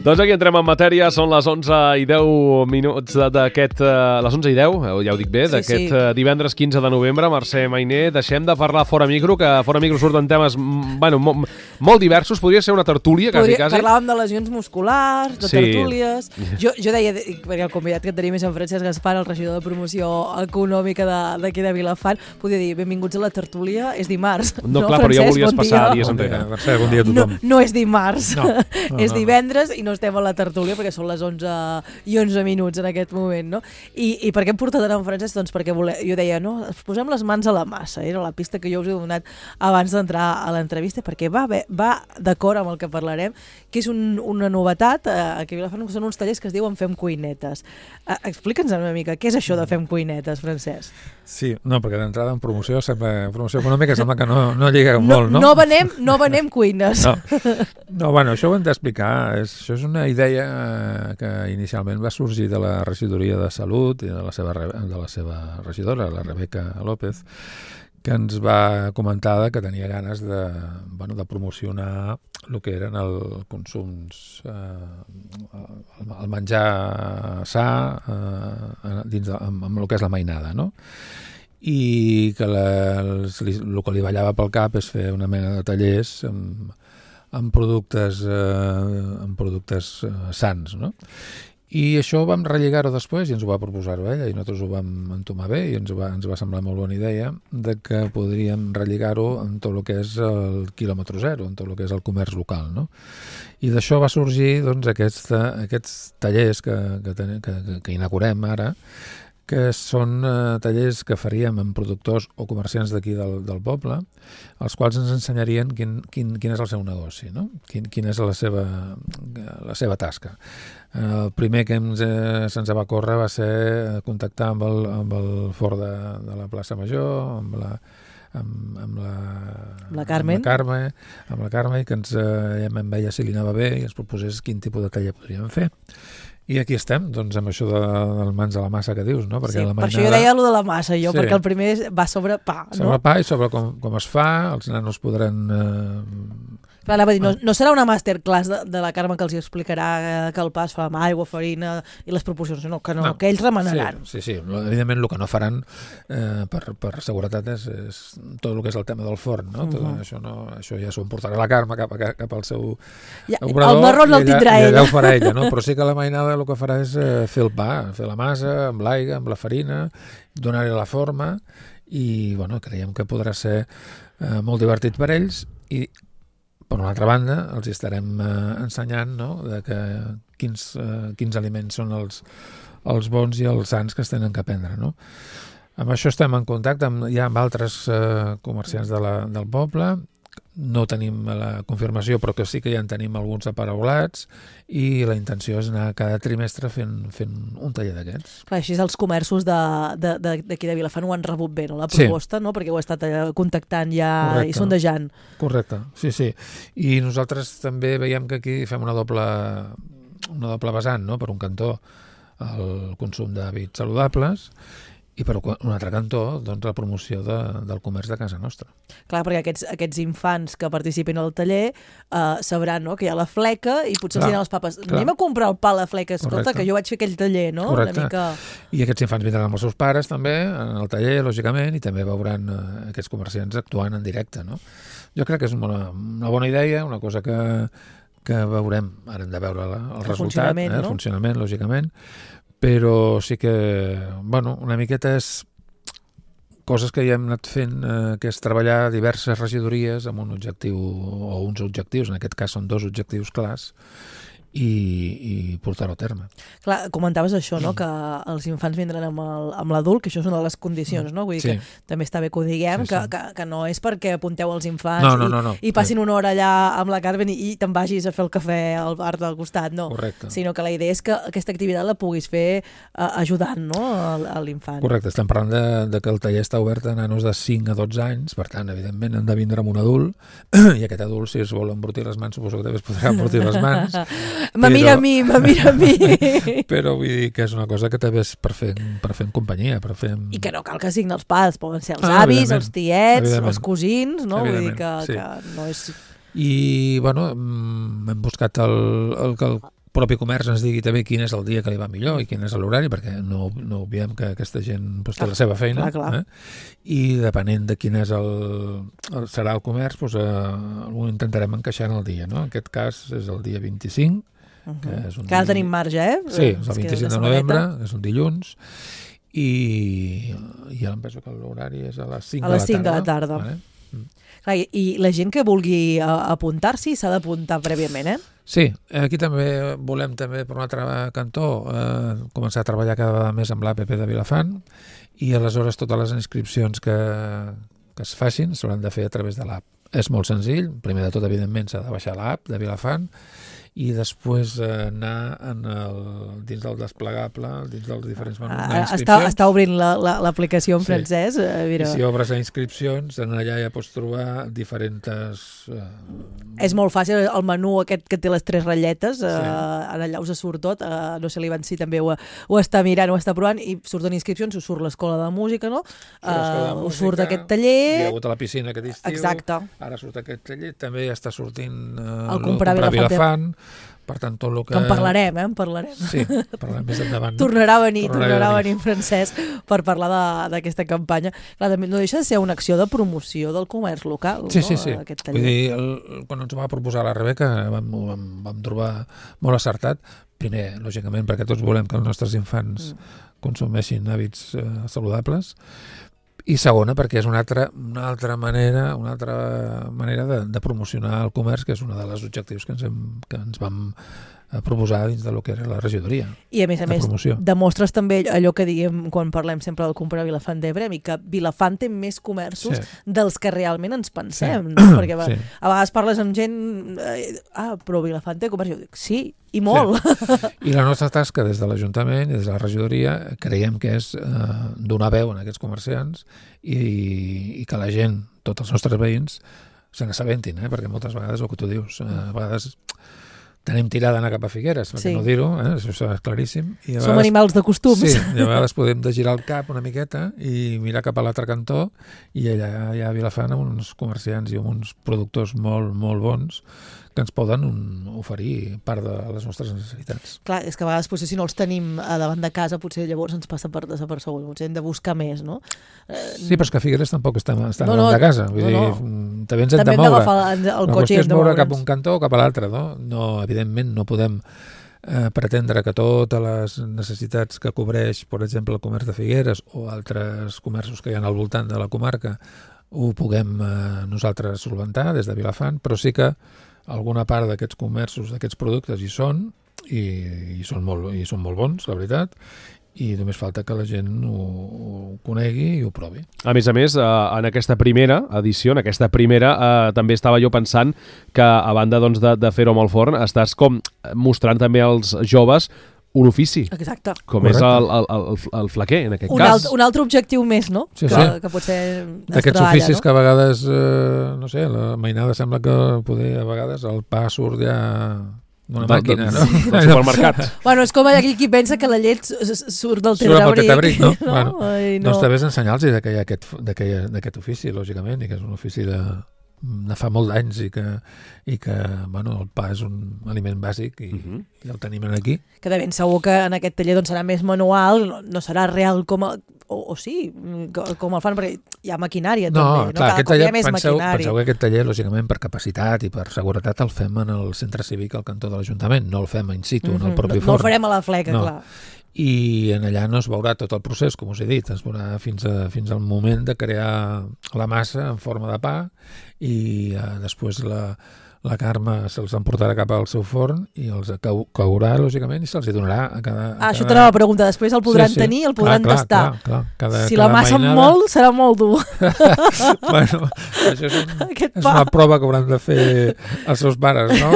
Doncs aquí entrem en matèria, són les 11:10 d'aquest... les 11:10, ja ho dic bé, d'aquest divendres 15 de novembre. Mercè Mainer, deixem de parlar fora micro, que fora micro surten temes molt diversos. Podria ser una tertúlia, quasi. Parlàvem de lesions musculars, de tertúlies... Jo deia, perquè el convidat que tenim és en Francesc Gaspar, el regidor de promoció econòmica d'aquí de Vilafant, podia dir, benvinguts a la tertúlia, és dimarts. No, clar, però ja volies passar dies enrere. Mercè, bon dia a tothom. No és dimarts, és divendres i no estem a la tertúlia perquè són les 11:11 en aquest moment, no? I per què hem portat en Francesc? Doncs perquè jo deia, no, posem les mans a la massa, era la pista que jo us he donat abans d'entrar a l'entrevista, perquè va d'acord amb el que parlarem, que és una novetat, aquí a Vilafant són uns tallers que es diuen Fem Cuinetes. Explica'ns una mica, què és això de Fem Cuinetes, Francesc? Sí, no, perquè d'entrada en promoció econòmica sembla que no lliga molt, no? No venem cuines. No, bueno, això ho hem d'explicar. Això és una idea que inicialment va sorgir de la regidoria de Salut i de la seva regidora, la Rebeca López, que ens va comentar que tenia ganes de promocionar el que eren els consums, el menjar sa amb el que és la mainada, no? I que el que li ballava pel cap és fer una mena de tallers amb productes sans, no? I això ho vam relligar-ho després i ens ho va proposar-ho ella i nosaltres ho vam entomar bé i ens va semblar molt bona idea de que podríem relligar-ho en tot el que és el quilòmetre zero, en tot el que és el comerç local, no? I d'això va sorgir doncs, aquests tallers que inaugurem ara, que són tallers que faríem amb productors o comerciants d'aquí del poble, els quals ens ensenyarien quin és el seu negoci, no? Quina és la seva tasca. El primer que se'ns va córrer va ser contactar amb el fort de la plaça Major, amb la Carme, i que em veia si li anava bé i ens proposés quin tipus de taller podríem fer. I aquí estem, doncs, amb això del mans a la massa que dius, no? Perquè per això jo deia allò de la massa, perquè el primer va sobre pa, no? Sobre pa i sobre com es fa, els nanos podran... Anava a dir, no serà una masterclass de la Carme que els explicarà que el pa es fa amb aigua, farina i les proporcions, no, que ells remenaran. Sí, evidentment el que no faran per seguretat és tot el que és el tema del forn, no? Això ja s'ho portarà la Carme cap al seu obrador. El marró no el tindrà ella. Allà ho farà ella, no? Però sí que la mainada el que farà és fer el pa, fer la massa amb l'aigua, amb la farina, donar-li la forma i creiem que podrà ser molt divertit per ells i per una altra banda, els estarem ensenyant, no?, de quins aliments són els bons i els sans que es tenen que prendre, no? Amb això estem en contacte amb altres comerciants del poble. No tenim la confirmació, però que sí que ja en tenim alguns aparaulats i la intenció és anar cada trimestre fent un taller d'aquests. Clar, així els comerços d'aquí de Vilafant ho han rebut bé, no? La proposta, no? Perquè ho he estat contactant ja. Correcte. I sondejant. Correcte, sí. I nosaltres també veiem que aquí fem una doble vessant, no? Per un cantó el consum d'hàbits saludables i per un altre cantó, doncs, la promoció del comerç de casa nostra. Clar, perquè aquests infants que participin al taller sabran, no?, que hi ha la fleca i potser els diran als papes, anem a comprar el pa a la fleca, escolta, que jo vaig fer aquell taller, no? Correcte. Una mica... I aquests infants vindran amb els seus pares també en el taller, lògicament, i també veuran aquests comerciants actuant en directe, no? Jo crec que és una bona idea, una cosa que veurem, ara hem de veure el resultat, el funcionament, lògicament, però sí que, una miqueta és coses que ja hem anat fent, que és treballar diverses regidories amb un objectiu, o uns objectius, en aquest cas són 2 objectius clars, i portar-ho a terme. Clar, comentaves això, no?, que els infants vindran amb l'adult, que això és una de les condicions, no? Vull dir que també està bé que ho diguem, que no és perquè apunteu els infants i passin una hora allà amb la Carmen i te'n vagis a fer el cafè al bar del costat, no. Correcte. Sinó que la idea és que aquesta activitat la puguis fer ajudant, no?, a l'infant. Correcte, estem parlant de que el taller està obert a nanos de 5 a 12 anys, per tant, evidentment, han de vindre amb un adult, i aquest adult, si es vol embrutir les mans, suposo que també es podrà embrutir les mans. Me mira a mi. Però vull dir que és una cosa que també és per fer en companyia. I que no cal que siguin els pares, poden ser els avis, els tiets, els cosins, no? Vull dir que no és... I, hem buscat el propi comerç ens digui també quin és el dia que li va millor i quin és l'horari, perquè no obviem que aquesta gent té la seva feina. Clar. I depenent de quin és serà el comerç, ho intentarem encaixar en el dia. No? En aquest cas és el dia 25, que és un que ara tenim marge, Sí, és el 25 de novembre, és un dilluns, i ja em penso que l'horari és a les 5 de la tarda. Vale? Clar, i la gent que vulgui apuntar-s'hi s'ha d'apuntar prèviament, Sí, aquí també volem, per un altre cantó, començar a treballar cada vegada més amb l'APP de Vilafant, i aleshores totes les inscripcions que es facin s'hauran de fer a través de l'app. És molt senzill, primer de tot, evidentment, s'ha de baixar l'app de Vilafant, i després anar dins del desplegable, dins dels diferents menús d'inscripcions. Està obrint l'aplicació en francès. I si obres a inscripcions, allà ja pots trobar diferents... És molt fàcil, el menú aquest que té les 3 ratlletes, allà us surt tot, no sé, l'Ivancí també ho està mirant, ho està provant, i surten inscripcions, us surt l'escola de música, no? Us surt aquest taller... Hi ha hagut a la piscina aquest estiu. Exacte. Ara surt aquest taller, també està sortint el comprar Vilafant. Per tant, tot el que... en parlarem, en parlarem. Sí, parlarem més endavant. Tornarà a venir en francès per parlar d'aquesta campanya. Clar, també no deixa de ser una acció de promoció del comerç local, sí. Aquest taller. Vull dir, quan ens ho va proposar la Rebeca vam trobar molt acertat. Primer, lògicament, perquè tots volem que els nostres infants consumeixin hàbits saludables, i segona, perquè és una altra manera de promocionar el comerç, que és un dels objectius que ens vam proposar dins del que era la regidoria. I a més, demostres també allò que diem quan parlem sempre del comprar Vilafant d'Ebre, i que Vilafant té més comerços dels que realment ens pensem, no? Perquè a vegades parles amb gent, però Vilafant té comerç, jo dic, sí, i molt. I la nostra tasca des de l'Ajuntament i des de la regidoria creiem que és donar veu a aquests comerciants i que la gent, tots els nostres veïns, se n'assabentin, perquè moltes vegades el que tu dius, a vegades tenim tirada d'anar cap a Figueres, perquè no dir-ho, això és claríssim. Som animals de costums. Sí, i a vegades podem de girar el cap una miqueta i mirar cap a l'altre cantó, i allà hi ha Vilafant amb uns comerciants i amb uns productors molt, molt bons que ens poden oferir part de les nostres necessitats. Clar, és que a vegades potser si no els tenim davant de casa, potser llavors ens passa per desapercebut, potser hem de buscar més, no? Sí, però és que Figueres tampoc està davant de casa, vull dir, també ens hem de moure. La qüestió és moure cap a un cantó o cap a l'altre, no? Evidentment no podem pretendre que totes les necessitats que cobreix, per exemple, el comerç de Figueres o altres comerços que hi ha al voltant de la comarca ho puguem nosaltres solventar des de Vilafant, però sí que alguna part d'aquests comerços, d'aquests productes hi són, i són molt bons, la veritat, i només falta que la gent ho conegui i ho provi. A més, en aquesta primera edició, també estava jo pensant que, a banda de fer-ho amb el forn, estàs com mostrant també als joves un ofici. Exacte. Com és el flaquer, en aquest cas. Un altre objectiu més, no? Sí. Que potser d'aquests oficis que a vegades, no sé, la mainada sembla que poder a vegades el pa surt ja d'una màquina, no? Del supermercat. Bueno, és com aquí qui pensa que la llet surt del tetrabric, no? Doncs també és ensenyar-los que hi ha d'aquest ofici, lògicament, i que és un ofici de fa molt d'anys i que el pa és un aliment bàsic i el tenim aquí. Que de ben segur que en aquest taller serà més manual, no serà real com el fan, perquè hi ha maquinària també. Clar, aquest taller, penseu que aquest taller, lògicament, per capacitat i per seguretat el fem en el centre cívic al cantó de l'Ajuntament, no el fem in situ, en el propi forn. No el farem a la fleca, clar. I en allà no es veurà tot el procés, com us he dit, es veurà fins al moment de crear la massa en forma de pa, i després la Carme se'ls emportarà cap al seu forn i els caurà, lògicament, i se'ls donarà a cada... Això t'anava a preguntar, després el podran tenir, el podran tastar. Clar. Si la massa molt, serà molt dur. Bueno, això és una prova que hauran de fer els seus pares, no?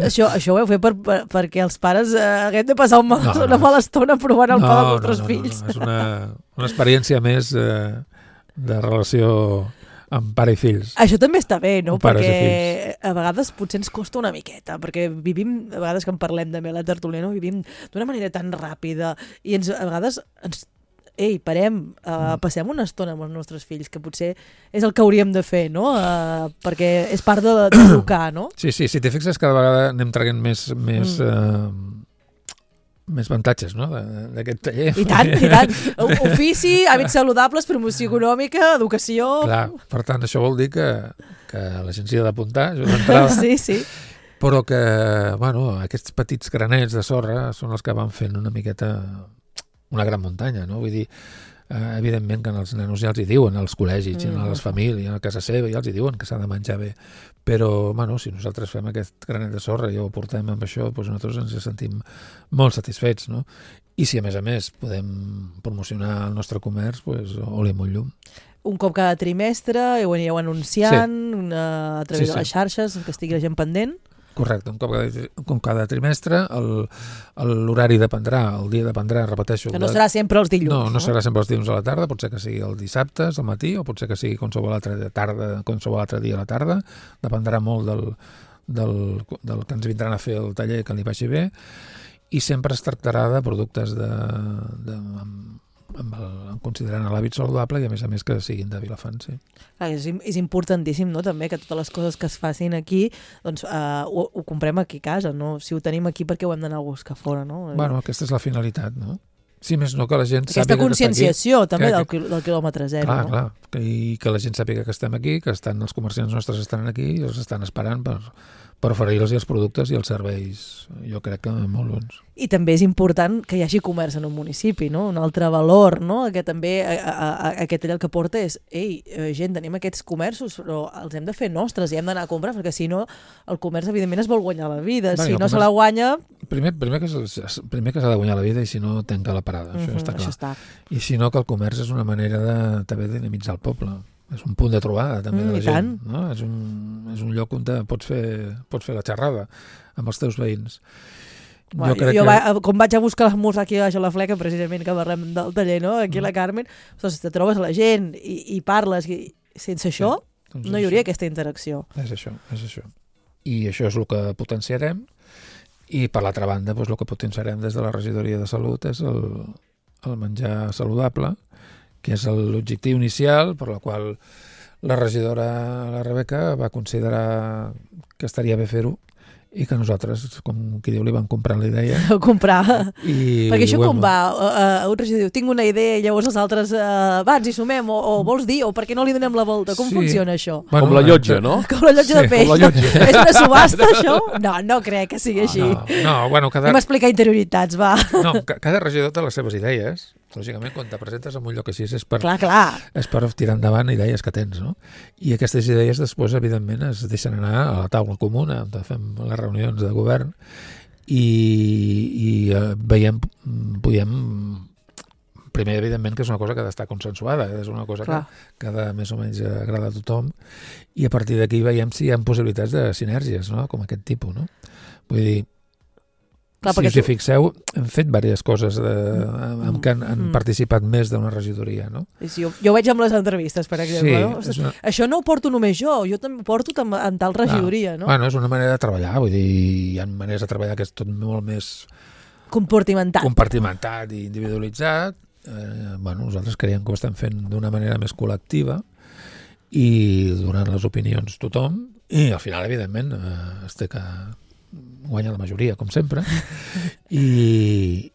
Això ho heu fet perquè els pares haguem de passar una mala estona provant el pa dels vostres fills. No, és una experiència més de relació amb pare i fills. Això també està bé, no? Perquè a vegades potser ens costa una miqueta, perquè vivim, a vegades que en parlem també a la tertúlia, no? Vivim d'una manera tan ràpida i a vegades ei, parem, passem una estona amb els nostres fills, que potser és el que hauríem de fer, no? Perquè és part d'educar, no? Sí, si t'hi fixes, cada vegada anem traient més avantatges, no?, d'aquest taller. I tant. Ofici, hàbits saludables, promoció econòmica, educació... Clar, per tant, això vol dir que la gent s'hi ha d'apuntar, això d'entrada. Sí. Però que, bueno, aquests petits granets de sorra són els que van fent una miqueta una gran muntanya, no? Vull dir, evidentment que els nanos ja els hi diuen als col·legis, a les famílies, a casa seva, ja els hi diuen que s'ha de menjar bé. Però, bueno, si nosaltres fem aquest granet de sorra i ho portem amb això, doncs nosaltres ens sentim molt satisfets, no? I si a més podem promocionar el nostre comerç, doncs oli molt llum. Un cop cada trimestre, ho anireu anunciant a través de les xarxes, que estigui la gent pendent. Correcte, un cop cada trimestre, l'horari dependrà, el dia dependrà, repeteixo. Que no serà sempre els dilluns. No serà sempre els dilluns a la tarda, pot ser que sigui el dissabte al matí, o pot ser que sigui qualsevol altre dia a la tarda, dependrà molt del que ens vindran a fer el taller, que li vagi bé, i sempre es tractarà de productes considerant l'hàbit saludable i a més que siguin de Vilafant, sí. És importantíssim, no?, també, que totes les coses que es facin aquí doncs ho comprem aquí a casa, no? Si ho tenim aquí, perquè ho hem d'anar a buscar fora, no? Bueno, aquesta és la finalitat, no? Sí, més no que la gent aquesta conscienciació també del quilòmetre zero. Clar, i que la gent sàpiga que estem aquí, que els comerciants nostres estan aquí i els estan esperant per oferir-los els productes i els serveis, jo crec que molt bons. I també és important que hi hagi comerç en un municipi, no? Un altre valor, no? Que també aquest el que porta és, gent, tenim aquests comerços, però els hem de fer nostres i hem d'anar a comprar, perquè si no, el comerç evidentment es vol guanyar la vida. Si no se la guanya... Primer que s'ha de guanyar la vida i si no, tanca la parada, això està clar. Això està. I si no, que el comerç és una manera també de dinamitzar el poble. És un punt de trobada també de la gent, no? És un lloc on pots fer la xerrada amb els teus veïns. Com vaig a buscar l'esmorzar aquí a la Fleca, precisament que parlem del taller, no? Aquí a la Carmen, doncs te trobes la gent i parles, i sense això no hi hauria aquesta interacció. És això. I això és el que potenciarem, i per l'altra banda el que potenciarem des de la regidoria de salut és el menjar saludable, que és l'objectiu inicial per la qual la regidora, la Rebeca, va considerar que estaria bé fer-ho i que nosaltres, com qui diu, li vam comprar la idea. Perquè això com va? Un regidor diu, tinc una idea, i llavors els altres, va, ens hi sumem, o vols dir, o per què no li donem la volta? Com funciona això? Bueno, com la llotja, no? Com la llotja de peix. És una subhasta, això? No crec que sigui així. Anem a explicar interioritats, va. No, cada regidor té les seves idees. Lògicament, quan te presentes en un lloc així és per tirar endavant idees que tens, no? I aquestes idees després, evidentment, es deixen anar a la taula comuna, on fem les reunions de govern i podem... Primer, evidentment, que és una cosa que ha d'estar consensuada, és una cosa que ha de més o menys agradar a tothom, i a partir d'aquí veiem si hi ha possibilitats de sinergies, no?, com aquest tipus, no? Vull dir, si us hi fixeu, hem fet diverses coses en què han participat més d'una regidoria, no? Sí, jo ho veig amb les entrevistes, per exemple. Sí, això no ho porto només jo també ho porto en tal regidoria, no? Bueno, és una manera de treballar, vull dir, hi ha maneres de treballar que és tot molt més... compartimentat i individualitzat. Nosaltres creiem que ho estem fent d'una manera més col·lectiva i donant les opinions tothom, i al final, evidentment, es té que guanya la majoria, com sempre, i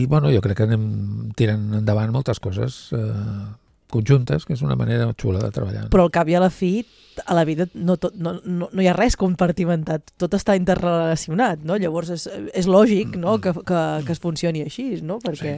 bueno, jo crec que anem tirant endavant moltes coses conjuntes, que és una manera xula de treballar. Però al cap i a la fi, a la vida no hi ha res compartimentat, tot està interrelacionat, no? Llavors és lògic, no?, que es funcioni així, no? Perquè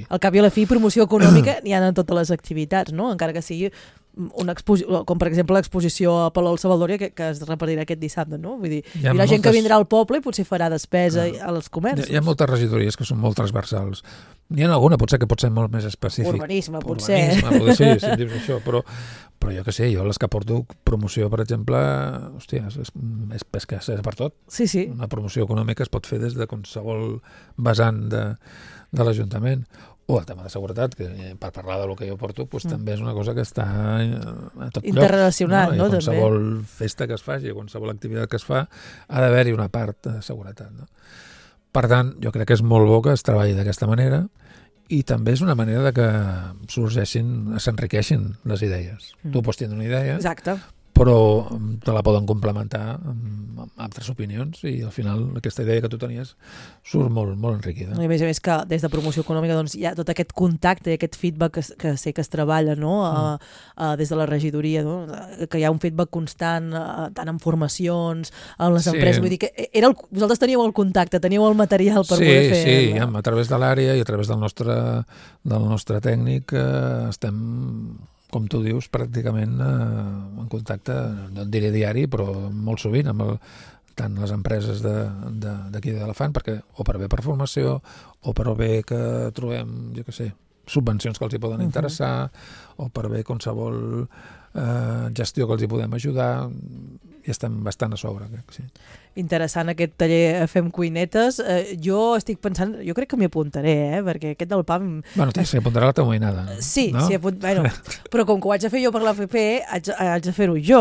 al cap i a la fi promoció econòmica n'hi ha en totes les activitats, no? Encara que sigui una exposició, com per exemple l'exposició a Palau Salvador que es repartirà aquest dissabte, no? Vull dir, hi ha gent que vindrà al poble i potser farà despesa als comerços. Hi ha moltes regidories que són molt transversals. N'hi ha alguna, potser que pot ser molt més específic. Urbanisme, potser. Sí, si em dius això, però jo què sé, jo les que porto promoció, per exemple, hòstia, és que és per tot. Sí. Una promoció econòmica es pot fer des de qualsevol vessant de l'Ajuntament. O el tema de seguretat, que per parlar del que jo porto, també és una cosa que està a tot lloc. Interrelacionat, no? Qualsevol festa que es faci, qualsevol activitat que es fa, ha d'haver-hi una part de seguretat, no? Per tant, jo crec que és molt bo que es treballi d'aquesta manera i també és una manera de que s'enriqueixin les idees. Tu pots tenir una idea, Exacte. però te la poden complementar amb altres opinions i al final aquesta idea que tu tenies surt molt, molt enriquida. I a més que des de promoció econòmica doncs, hi ha tot aquest contacte i aquest feedback que sé que es treballa, no? Des de la regidoria, no? Que hi ha un feedback constant tant en formacions, en les empreses, vull dir que vosaltres teníeu el contacte, teníeu el material per poder fer... Sí, a través de l'àrea i a través del nostre tècnic estem, com tu dius, pràcticament en contacte, no et diré diari, però molt sovint amb tant les empreses d'aquí d'Elefant, perquè o per bé per formació o per bé que trobem, jo què sé, subvencions que els hi poden interessar o per bé qualsevol gestió que els hi podem ajudar, i estem bastant a sobre, sí. Interessant aquest taller Fem Cuinetes. Jo estic pensant, jo crec que m'hi apuntaré, perquè aquest del pa... Bueno, s'hi apuntarà la teva mainada. Sí, no? Bueno, però com que ho haig de fer jo per l'AFP, haig de fer-ho jo.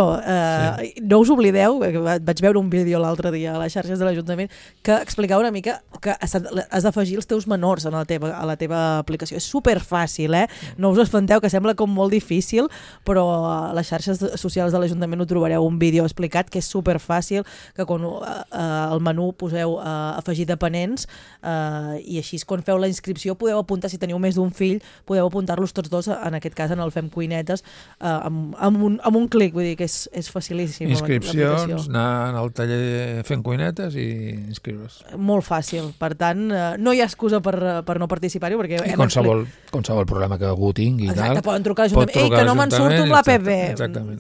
No us oblideu, vaig veure un vídeo l'altre dia a les xarxes de l'Ajuntament que explicava una mica que has d'afegir els teus menors a la teva aplicació. És superfàcil, No us espanteu, que sembla com molt difícil, però a les xarxes socials de l'Ajuntament ho trobareu un vídeo explicat que és superfàcil, que quan al menú poseu afegir dependents i així quan feu la inscripció podeu apuntar, si teniu més d'un fill, podeu apuntar-los tots dos, en aquest cas en el Fem Cuinetes, amb un clic, vull dir que és facilíssim. Inscripcions, anar al taller Fem Cuinetes i inscriure's. Molt fàcil, per tant, no hi ha excusa per no participar-hi, perquè... I qualsevol problema que algú tingui. Exacte, poden trucar a l'Ajuntament, que no me'n surto amb l'APP.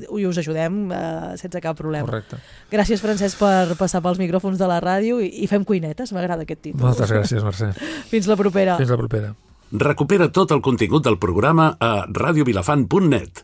I us ajudem sense cap problema. Correcte. Gràcies, Francesc, per passar pels micròfons de la ràdio i Fem Cuinetes, m'agrada aquest títol. Moltes gràcies, Mercè. Fins la propera. Fins la propera. Recupera tot el contingut del programa a radiovilafant.net.